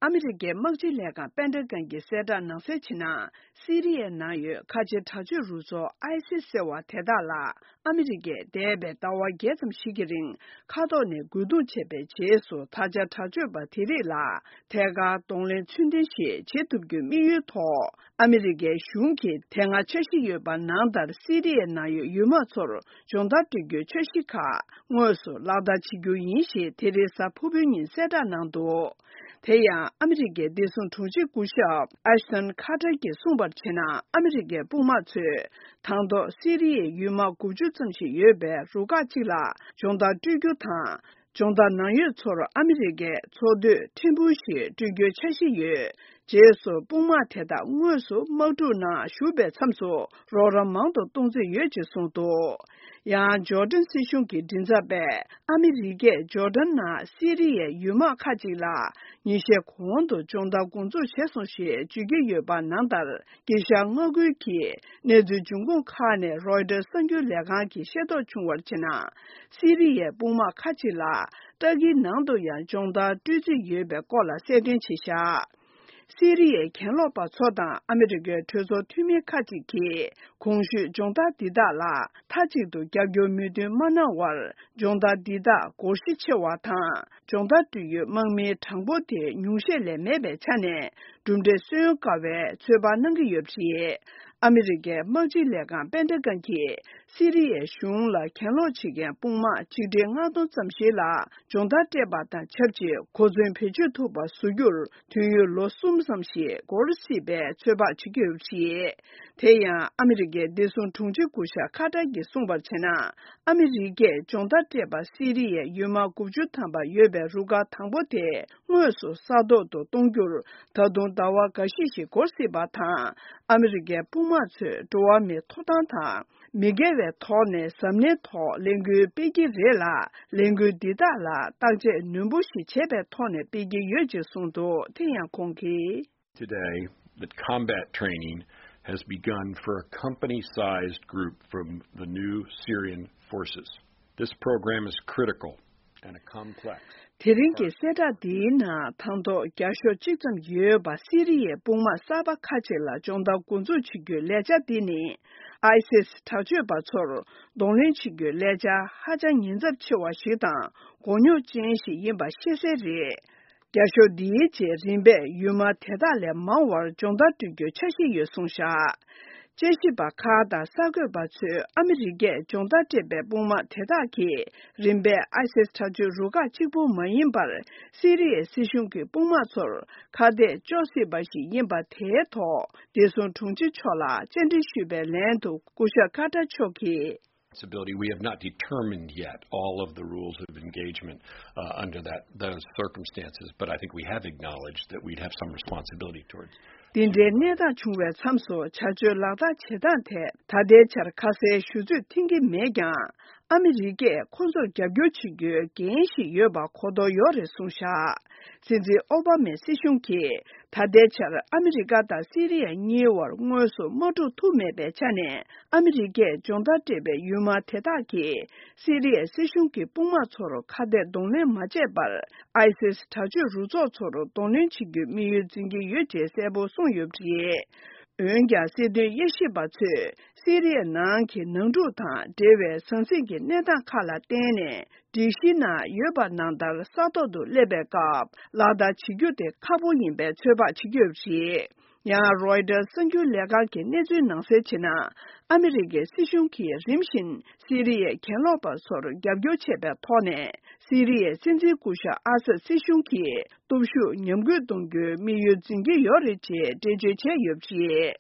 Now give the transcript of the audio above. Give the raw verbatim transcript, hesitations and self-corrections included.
ཨ་མི་རི་ཀའི་དམག་སྤྱི་ལས་ཁང་པེན་ཏ་གོན་གྱི་གསལ་བསྒྲགས་ནང་གསལ་བྱས་ན། སི་རི་ཡའི་ནང་ཡོད་ཁ་ཆེ་དྲག་སྤྱོད་རུ་ཚོགས་ཨའི་སིས་ཟེར་བ་དེ་དག་ལ། ཨ་མི་རི་ཀས་འདས་པའི་ཟླ་བ་བརྒྱད་ཙམ་ཞིག་གི་རིང་མཁའ་ཐོག་ནས་རྒོལ་རྡུང་བྱས་པའི་རྗེས་སུ། ད་ཆ་དྲག་སྤྱོད་པ་དེ་རིགས་ལ་ཐད་ཀར་གདོང་ལེན་ཚུལ་ལྡན་ཞིག་བྱེད་ཐུབ་རྒྱུའི་དམིགས་ཡུལ་ཐོག་ཨ་མི་རི་ཀའི་གཞུང་གིས་དེ་སྔ་འཆར་གཞི་ཡོད་པ་ནང་ལྟར། སི་རི་ཡའི་ནང་ཡོད་ཡུལ་དམག་ཚོར་སྦྱོང་བརྡར་སྤྲོད་རྒྱུའི་འཆར་གཞི་ཁག་དངོས་སུ་ལག་བསྟར་བྱེད་རྒྱུ་ཡིན་ཞེས་དེ་རིང་གཟའ་ཕུར་བུའི་ཉིན་གསལ་བསྒྲགས་གནང་འདུག་དེ་ཡང་ཨ་མི་རི་ཀའི་བདེ་སྲུང་དྲུང་ཆེ་སྐུ་ཞབས་ཨེཤ་ཏོན་ཁ་ཏར་གྱིས་གསུངས་པར་བྱས་ན། ཨ་མི་རི་ཀའི་དཔུང་དམག་ཚོས་དང་ཐོག་སི་རི་ཡའི་ཡུལ་དམག་དགུ་བཅུ་ཙམ་ཞིག་ཡོད་པའི་རུ་ཁག་ཅིག་ལ་སྦྱོང་བརྡར་སྤྲོད་རྒྱུ་དང་། སྦྱོང་བརྡར་ནང་ཡོད་ཚོར་ཨ་མི་རི་ཀའི་ཚོགས་འདུས་ཕྲན་བུ་ཞིག་སྤྲོད་རྒྱུའི་འཆར་གཞི་ཡོད། རྗེས་སུ་དཔུང་དམག་དེ་དག་དངོས་སུ་དམག་འཁྲུག་ནང་ཞུགས་པའི་མཚམས་སུ་རོགས་རམ་མང་དུ་གཏོང་རྩིས་ཡོད་ཅེས་གསུངས་འདུག་ཡང་ཇོར་ཌན་སྲིད་གཞུང་གི་མགྲིན་ཚབ་པས། ཨ་མི་རི་ཀས་ཇོར་ཌན་ནང་སི་རི་ཡའི་ཡུལ་དམག་ཁག་ཅིག་ལ་ཉིན་ཤས་གོང་དུ་སྦྱོང་བརྡར་འགོ་འཛུགས་བྱས་སོང་ཞེས་བརྗོད་ཀྱི་ཡོད་པ་ནང་ལྟར། དཀྱིལ་ཤར་མངའ་ཁུལ་གྱི་གནས་ཚུལ་འབྱུང་ཁུངས་ཁག་ནས་རོའི་ཊར་གསར་འགྱུར་ལས་ཁང་གིས་ཤེས་རྟོགས་བྱུང་བར་བྱས་ན། སི་རི་ཡའི་དཔུང་དམག་ཁག་ཅིག་ལ་ཏར་ཀིའི་ནང་དུ་ཡང་སྦྱོང་བརྡར་སྤྲོད་རྩིས་ཡོད་པའི་སྐོར་ལ་གསལ་སྟོན་བྱས་བཞག་སི་རི་ཡའི་གྱེན་ལོག་པ་ཚོ་དང་ཨ་མི་རི་ཀའི་གྲོས་ཚོགས་འཐུས་མི་ཁག་ཅིག་གིས་གོང་ཞུས་སྦྱོང་བརྡར་འདི་དག་ལ་མཐའ་གཅིག་ཏུ་རྒྱབ་སྐྱོར་མོས་མཐུན་མ་གནང་བར། སྦྱོང་བརྡར་འདི་དག་སྒོར་གཞི་ཆེ་བ་དང་། སྦྱོང་བརྡར་སྤྲོད་ཡུལ་དམག་མིའི་གྲངས་འབོར་དེ་ཉུང་ཤས་ལས་མེད་པའི་ཆ་ནས། གྲུབ་འབྲས་སོན་དཀའ་བའི་ཚོད་དཔག་གནང་གི་ཡོད་པ་རེད། ཨ་མི་རི་ཀའི་དམག་སྤྱི་ལས་ཁང་པེན་ཏ་གོན་གྱིས། སི་རི་ཡའི་གཞུང་ལ་གྱེན་ལོག་བྱེད་མཁན་དཔུང་དམག་གཅིག་ཁྲི་ལྔ་སྟོང་ཙམ་ཞིག་ལ་སྦྱོང་བརྡར་སྤྲད་པ་དང་ཆབས་ཅིག་གོ་མཚོན་བེད་སྤྱོད་ཐུབ་པ་བཟོ་རྒྱུར་དུས་ཡུན་ལོ་གསུམ་ཙམ་ཞིག་འགོར་སྲིད་པའི་ཚོད་དཔག་བྱེད་ཀྱི་ཡོད་པ་རེད། དེ་ཡང་ཨ་མི་རི་ཀའི་བདེ་སྲུང་དྲུང་ཆེ་སྐུ་ཞབས་ཁ་ཏར་གྱིས་གསུངས་པར་བྱས་ན། ཨ་མི་རི་ཀས་སྦྱོང་བརྡར་སྤྲད་པ་སི་རི་ཡའི་ཡུལ་དམག་དགུ་བཅུ་ཐམ་པ་ཡོད་པའི་རུ་ཁག་དང་པོ་དེ་དངོས་སུ་ས་ཐོག་ཏུ་གཏོང་རྒྱུར་ད་དུང་ཟླ་བ་འགའ་ཤས་ཤིག་འགོར་སྲིད་པ་དང་། ཨ་མི་རི་ཀའི་དཔུང་དམག་ཚོས་འགྲོ་བ་མིའི་ཐོབ་ཐང་དང་། མི་དགེ་བའི་ཐོག་ནས་གཟབ་ནན་ཐོག་ལས་འགུལ་སྤེལ་གྱི་རེད་ལ། ལས་འགུལ་འདི་དག་ལ་བརྟག་དཔྱད་ནན་པོ་ཞིག་བྱས་པའི་ཐོག་ནས་སྤེལ་གྱི་ཡོད་ཅེས་གསུངས་འདུག་དེ་ཡང་ཁོང་གིས། Today, that combat training has begun for a company-sized group from the new Syrian forces. This program is critical and a complex དེ་རིང་གི་གསལ་བསྒྲགས་འདིའི་ནང་། དང་ཐོག་བརྒྱ་ཤོག་གཅིག་ཙམ་ཡོད་པ་སི་རི་ཡའི་དཔུང་དམག་གསར་པ་ཁག་ཅིག་ལ་སྦྱོང་བརྡར་འགོ་འཛུགས་བྱེད་རྒྱུའི་ལས་འཆར་འདི་ནི། ཨའི་སིས་དྲག་སྤྱོད་པ་ཚོར་གདོང་ལེན་བྱེད་རྒྱུའི་ལས་འཆར་ཧ་ཅང་ཉེན་ཚབས་ཆེ་བ་ཞིག་དང་། མགོ་རྙོག་ཅན་ཞིག་ཡིན་པ་ཤེས་གསལ་རེད། བརྒྱ་ཤོག་འདིའི་རྗེས་རིམ་པས་ཡུལ་དམག་དེ་དག་ལས་མང་བར་སྦྱོང་བརྡར་སྤྲོད་རྒྱུའི་འཆར་གཞི་ཡོད་གསུངས་བཞག་དཔྱད་ཞིབ་པ་ཁག་དང་གསར་འགོད་པ་ཚོས་ཨ་མི་རི་ཀས་སྦྱོང་བརྡར་སྤྲད་པའི་དཔུང་དམག་དེ་དག་གིས་རིམ་པས་ཨའི་སིས་དྲག་སྤྱོད་རུ་ཁག་གཅིག་པུ་མ་ཡིན་པར། སི་རི་ཡའི་སྲིད་གཞུང་གི་དཔུང་དམག་ཚོར་ཁ་གཏད་གཅོག་སྲིད་པ་ཞིག་ཡིན་པ་དེའི་ཐོག་བདེ་སྲུང་དྲུང་ཆེ་མཆོག་ལ་བཅར་འདྲི་ཞུས་པའི་ལན་དུ། སྐུ་ཞབས་ཀ་ཏར་མཆོག་གིས། Responsibility. We have not determined yet all of the rules of engagement uh, under that those circumstances, but I think we have acknowledged that we'd have some responsibility towards. འདི་འདྲའི་གནས་སྟངས་བྱུང་བའི་མཚམས་སུ་བྱ་སྤྱོད་ལག་བསྟར་བྱེད་སྟངས་ཐད་ད་ལྟའི་ཆར་ཁ་གསལ་ཞུ་ཚོད་འཐེན་གྱི་མེད་ཀྱང་། ཨ་མི་རི་ཀས་ཁོ་ཚོར་རྒྱབ་སྐྱོར་བྱེད་རྒྱུའི་འགན་ཞིག་ཡོད་པ་གོ་རྟོགས་ཡོད་རེད་གསུངས་བཞག་སྲིད་འཛིན་ཨོ་བྷ་མའི་སྲིད་གཞུང་གིས། ད་ལྟའི་ཆར་ཨ་མི་རི་ཀ་དང་སི་རི་ཡ་གཉིས་བར་དངོས་སུ་དམག་འཁྲུག་ཐུག་མེད་པའི་ཆ་ནས། ཨ་མི་རི་ཀས་སྦྱོང་བརྡར་སྤྲད་པའི་ཡུལ་དམག་དེ་དག་གིས་སི་རི་ཡའི་སྲིད་གཞུང་གི་དཔུང་དམག་ཚོར་ཁ་གཏད་གདོང་ལེན་མ་བྱས་པར། ཨའི་སིས་དྲག་སྤྱོད་རུ་ཚོགས་ཚོར་གདོང་ལེན་བྱེད་རྒྱུའི་དམིགས་ཡུལ་འཛིན་གྱི་ཡོད་ཅེས་གསལ་པོ་གསུངས་ཡོད་པ་རེད། འོན་ཀྱང་། སྲིད་དོན་དབྱེ་ཞིབ་པ་ཚོས་སི་རི་ཡའི་ནང་གི་ནང་འཁྲུག་དང་འབྲེལ་བའི་ཟང་ཟིང་གི་གནས་སྟངས་ཁག་ལ་བརྟེན་ནས། སྒྲིག་གཞི་ནང་ཡོད་པ་ནང་ལྟར་ས་ཐོག་ཏུ་སླེབས་པའི་སྐབས་ལག་བསྟར་བྱེད་རྒྱུ་དེ་ཁག་པོ་ཡིན་པའི་ཚོད་དཔག་བྱེད་ཀྱི་ཡོད་པ་རེད། ཡང་། རོའི་ཊར་གསར་འགྱུར་ལས་ཁང་གི་གནས་ཚུལ་ནང་གསལ་བྱས་ན། ཨ་མི་རི་ཀའི་སྲིད་གཞུང་གིས་རིམ་བཞིན་སི་རི་ཡའི་གྱེན་ལོག་པ་ཚོར་རྒྱབ་སྐྱོར་བྱས་པའི་ཐོག་ནས། སི་རི་ཡའི་སྲིད་འཛིན་སྐུ་ཞབས་ཨ་སད་སྲིད་གཞུང་གིས་སྟོབས་ཤུགས་ཉམས་རྒུད་གཏོང་རྒྱུའི་དམིགས་ཡུལ་འཛིན་གྱི་ཡོད་རེད་ཅེས་འགྲེལ་བརྗོད་བྱས་ཡོད་པ་རེད།